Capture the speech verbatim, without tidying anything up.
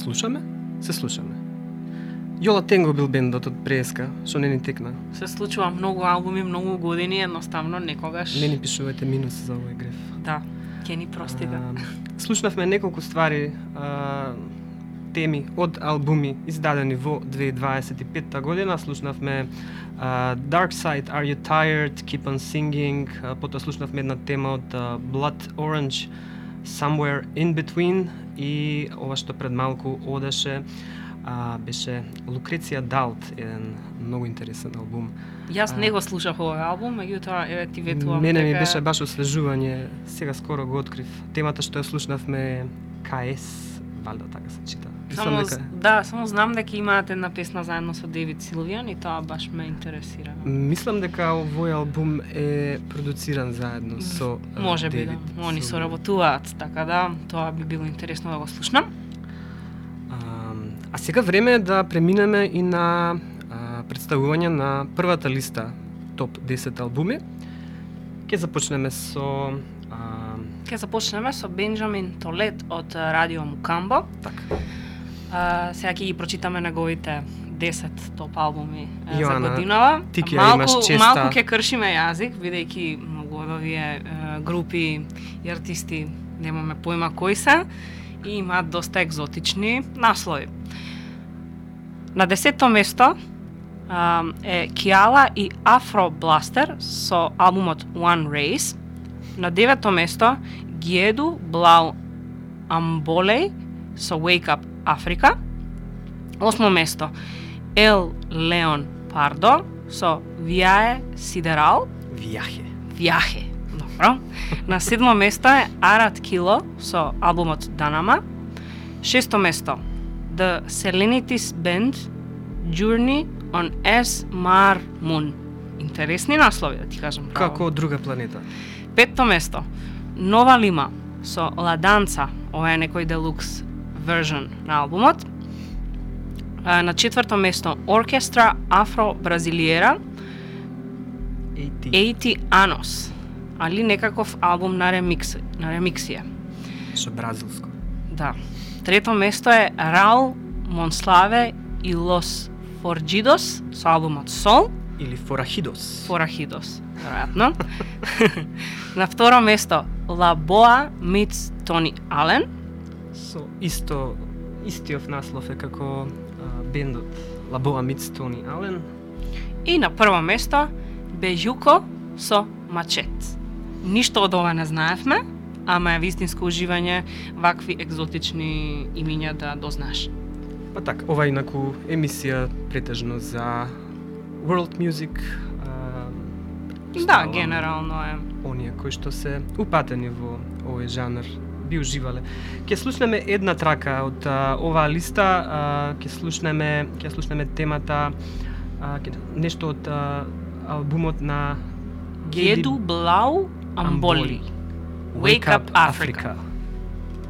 слушаме? Се слушаме. Јола Тенго бил бендот од Преска, што не ни текна. Се случува многу албуми, многу години, едноставно некогаш. Не ни пишувате минус за овој греф. Да, ќе ни простите. А, слушнавме неколку ствари, а, теми од албуми издадени во две илјади дваесет и петта година. Слушнавме uh, Dark Side, Are You Tired, Keep on Singing, uh, потоа слушнавме една тема од uh, Blood Orange, Somewhere in Between, и ова што пред малку одеше uh, беше Лукреција Далт, еден многу интересен албум. Јас не го слушав овој албум, меѓутоа еве ти ветувам Мене дека... ми беше баш освежување, сега скоро го открив. Темата што ја слушнавме е К С, валјда така се чита. Само, дека... да, само знам дека имаат една песна заедно со Девид Силвијан и тоа баш ме интересира. Мислам дека овој албум е продуциран заедно со Може би, Девид да. Они Силвијан. соработуваат, така да, тоа би било интересно да го слушнам. А, а сега време е да преминеме и на а, представување на првата листа топ десет албуми. Ќе започнеме со а... Ќе започнеме со Бенџамин Толет од Радио Мукамбо. Така. Uh, сега ќе ги прочитаме неговите десет топ албуми uh, Јоана, за годинава. ти ќе малку, имаш честа... Малку ќе кршиме јазик, бидејќи многу од овие uh, групи и артисти немаме појма кои се и имаат доста екзотични наслови. На десетто место uh, е Киала и Афро Бластер со албумот One Race. На девето место Гиеду Блау Амболеј со Wake Up Африка. Осмо место Ел Леон Пардо со Виае Сидерал. Вијахе. Вијахе. Добро. На седмо место е Арат Кило со албумот Данама. Шесто место The Selenitis Band Journey on S Mar Moon. Интересни наслови, да ти кажам. Како од друга планета. Петто место Нова Лима со La Danza, ова е некој делукс version на албумот. На четврто место Оркестра Афро Бразилиера осемдесет Anos, али некаков албум на ремикс, на ремиксија. Со бразилско. Да. Трето место е Раул Монславе и Лос Форджидос со албумот Сол или Форахидос. Форахидос, веројатно. На второ место La Boa meets Тони Ален. Со исто истиот наслов е како а, бендот La Boa meets Тони Ален. И на прво место Бежуко со Мачет. Ништо од ова не знаевме, ама е вистинско уживање вакви екзотични имиња да дознаеш. Па така, ова инаку емисија претежно за world music. А, Да, генерално е. Оние кои што се упатени во овој жанр би уживале. Ќе слушнеме една трака од а, оваа листа, а, ќе слушнеме, ќе слушнеме темата а, ќе, нешто од а, албумот на Геду Блау Амболи. Wake Up Africa.